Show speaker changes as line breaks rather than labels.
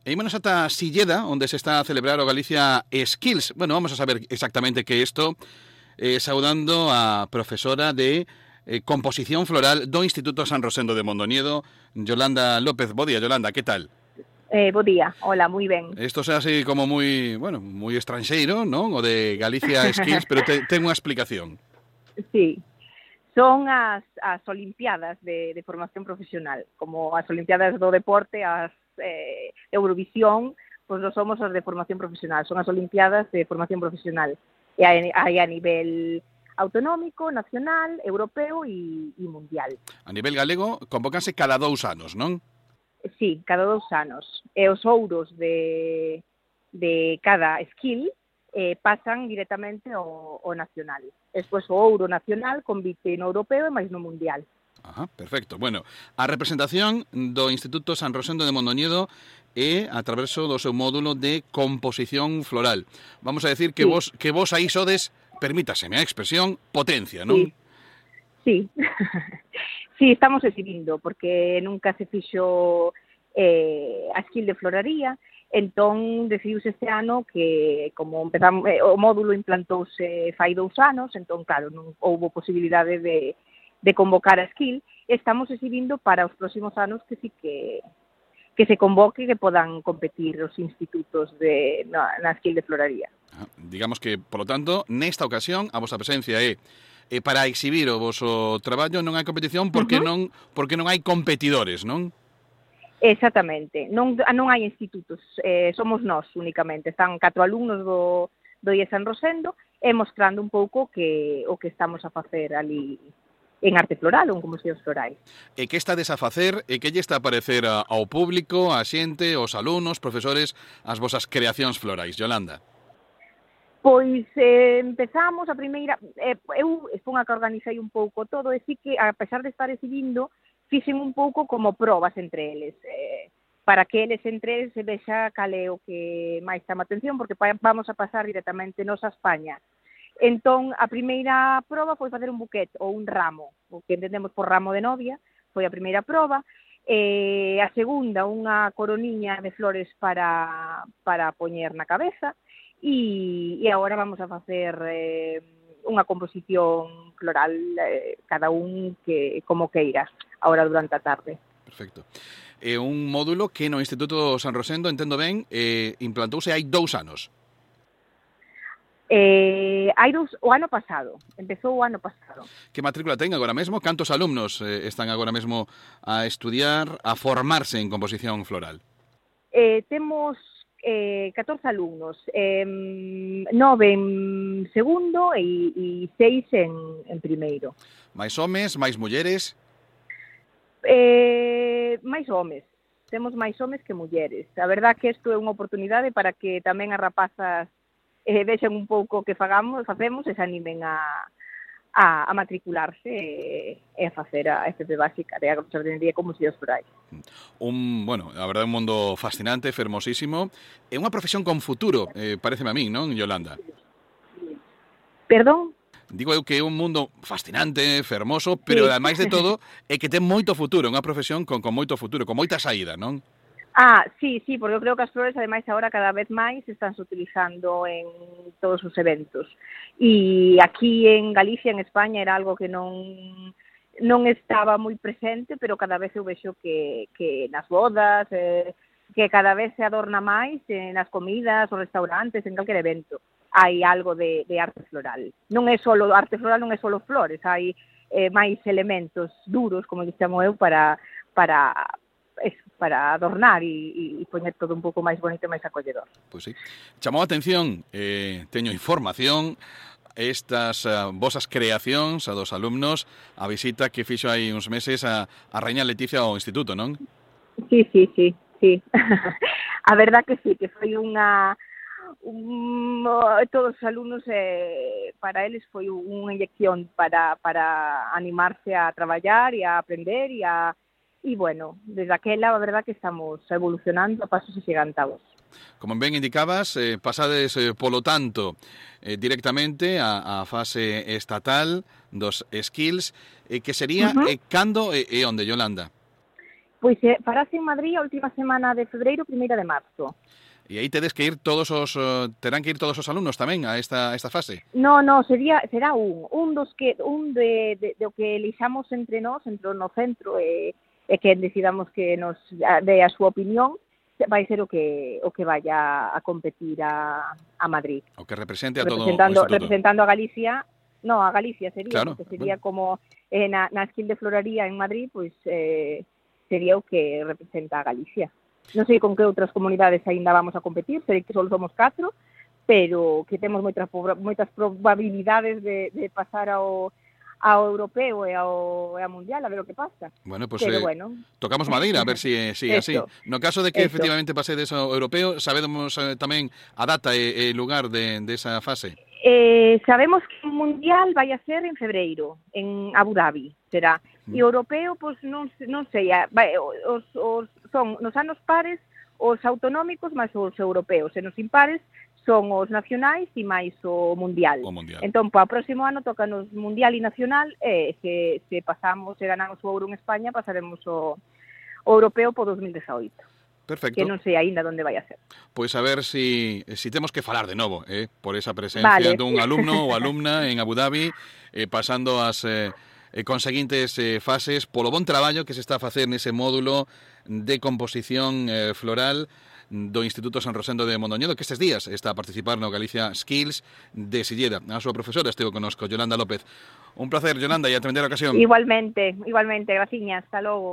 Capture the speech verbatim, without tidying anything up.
E ímonos ata Silleda, onde se está a celebrar o Galicia Skills. Bueno, vamos a saber exactamente que isto, eh, saudando a profesora de eh, composición floral do Instituto San Rosendo de Mondoñedo, Yolanda López. Bo día, Yolanda, que tal?
Eh, bo día, hola, moi ben.
Isto é así como moi, bueno, moi estranxeiro, non? O de Galicia Skills, pero te, ten unha explicación.
Sí, son as, as Olimpiadas de, de formación profesional, como as Olimpiadas do deporte, as eh, Eurovisión, pois non somos as de formación profesional, son as Olimpiadas de formación profesional. E hai, hai a nivel autonómico, nacional, europeo e, e mundial.
A nivel galego, convócanse cada dous anos, non?
Sí, cada dous anos. E os ouros de, de cada skill eh, pasan directamente ao, ao nacional. Despois o ouro nacional convite no europeo e máis no mundial.
Ajá, perfecto. Bueno, a representación do Instituto San Rosendo de Mondoñedo é a traverso do seu módulo de composición floral. Vamos a decir que
sí.
vos que vos aí sodes, permítaseme a expresión, potencia, non?
Sí. Sí. Sí, estamos exhibindo, porque nunca se fixo eh, a skill de floraría, entón decidiuse este ano que, como empezamos, eh, o módulo implantouse fai dous anos, entón, claro, non houbo posibilidade de de convocar a skill, estamos exhibindo para os próximos anos que sí que que se convoque, que podan competir os institutos de, na, na skill de floraría.
Ah, digamos que, polo tanto, nesta ocasión, a vosa presencia é, é para exhibir o voso traballo, non hai competición porque, uh-huh. non, porque non hai competidores, non?
Exactamente, non, non hai institutos, eh, somos nós únicamente, están catro alumnos do, do I E San Rosendo e mostrando un pouco que o que estamos a facer ali en arte floral ou en composicións florais.
E que estades a facer e que lle está a parecer a, ao público, a xente, aos alumnos, profesores, as vosas creacións florais, Yolanda?
Pois eh, empezamos a primeira, eh, eu expón a que organizei un pouco todo e sí que, a pesar de estar exhibindo, fixen un pouco como probas entre eles, eh, para que eles entre eles se vexa cal é o que máis chama atención, porque vamos a pasar directamente nos a España. Entón, a primeira proba foi facer un buquet ou un ramo, o que entendemos por ramo de novia, foi a primeira proba, e a segunda, unha coroniña de flores para, para poñer na cabeza, e, e agora vamos a facer eh, unha composición floral, eh, cada un que como queira, agora durante a tarde.
Perfecto. É un módulo que no Instituto San Rosendo, entendo ben, eh, implantouse hai dous anos.
Eh, hai dous, o ano pasado, empezou o ano pasado.
Que matrícula ten agora mesmo? Cantos alumnos eh, están agora mesmo a estudiar, a formarse en composición floral?
Eh, temos eh, catorce alumnos, eh, nove en segundo e, e seis en, en primeiro.
Mais homes, máis mulleres?
Eh, máis homes, temos máis homes que mulleres. A verdad que isto é unha oportunidade para que tamén as rapazas eh, vexen un pouco que fagamos, facemos e se animen a, a, a matricularse e, e a facer a F P básica de agroxardinería e composicións florais.
Un, bueno, a verdade, un mundo fascinante, fermosísimo. É unha profesión con futuro, eh, pareceme a min, non, Yolanda?
Perdón?
Digo eu que é un mundo fascinante, fermoso, pero, sí, ademais de todo, é que ten moito futuro, unha profesión con, con moito futuro, con moita saída, non?
Ah, sí, sí, porque eu creo que as flores, ademais, agora cada vez máis estánse utilizando en todos os eventos. E aquí en Galicia, en España, era algo que non non estaba moi presente, pero cada vez eu vexo que, que nas bodas, eh, que cada vez se adorna máis, eh, nas comidas, os restaurantes, en calquer evento, hai algo de, de arte floral. Non é solo arte floral, non é solo flores, hai eh, máis elementos duros, como lle chamo eu, para... para es para adornar e, e poñer todo un pouco máis bonito e máis acolledor.
Pois sí. Chamou a atención, eh, teño información, estas uh, vosas creacións a dos alumnos, a visita que fixo hai uns meses a, a Raíña Leticia ao Instituto, non?
Sí, sí, sí, sí. A verdad que sí, que foi unha... Un, todos os alumnos, eh, para eles foi unha inyección para, para animarse a traballar e a aprender e a E, bueno, desde aquela, a verdad que estamos evolucionando a pasos axigantados.
Como ben indicabas, eh, pasades, eh, polo tanto, eh, directamente a, a fase estatal dos skills, eh, que sería uh-huh. eh, cando e, e onde, Yolanda?
Pois eh, farase en Madrid a última semana de febreiro, primeira de marzo.
E aí tedes que ir todos os uh, terán que ir todos os alumnos tamén a esta a esta fase.
No, no, sería será un, un dos que un de de, de o que elixamos entre nós, entre no centro e, e que decidamos que nos dé a súa opinión, vai ser o que o que vaya a competir a, a Madrid.
O que represente a todo o
representando,
instituto.
representando a Galicia, no, a Galicia sería,
claro,
porque sería
bueno.
como eh, na, na Esquil de Floraría en Madrid, pois pues, eh, sería o que representa a Galicia. Non sei con que outras comunidades aínda vamos a competir, sei que só somos catro, pero que temos moitas moitas probabilidades de, de pasar ao ao europeo e ao, e ao mundial, a ver o que pasa.
Bueno, pues
Pero
eh,
bueno.
tocamos madeira, a ver si eh, si así. No caso de que Esto. efectivamente pasedes ao europeo, sabemos eh, tamén a data e, e lugar de, de esa fase.
Eh, sabemos que o mundial vai a ser en febreiro, en Abu Dhabi, será. E o europeo, pois pues, non, non sei, vai, os, os, son nos anos pares os autonómicos máis os europeos, e nos impares son os nacionais e máis o mundial.
O mundial.
Entón, para o próximo ano toca nos mundial e nacional, e se, se pasamos, se ganamos o ouro en España, pasaremos o, o europeo por dos mil dezaoito.
Perfecto.
Que non sei aínda onde vai a ser.
Pois a ver si, si temos que falar de novo, eh, por esa presencia
vale.
dun alumno ou alumna en Abu Dhabi, eh, pasando as eh, conseguintes eh, fases, polo bon traballo que se está a facer nese módulo de composición eh, floral do Instituto San Rosendo de Mondoñedo, que estes días está a participar no Galicia Skills de Silleda. A súa profesora estivo conosco, Yolanda López. Un placer, Yolanda, e a tremenda ocasión.
Igualmente, igualmente, graciñas, hasta logo.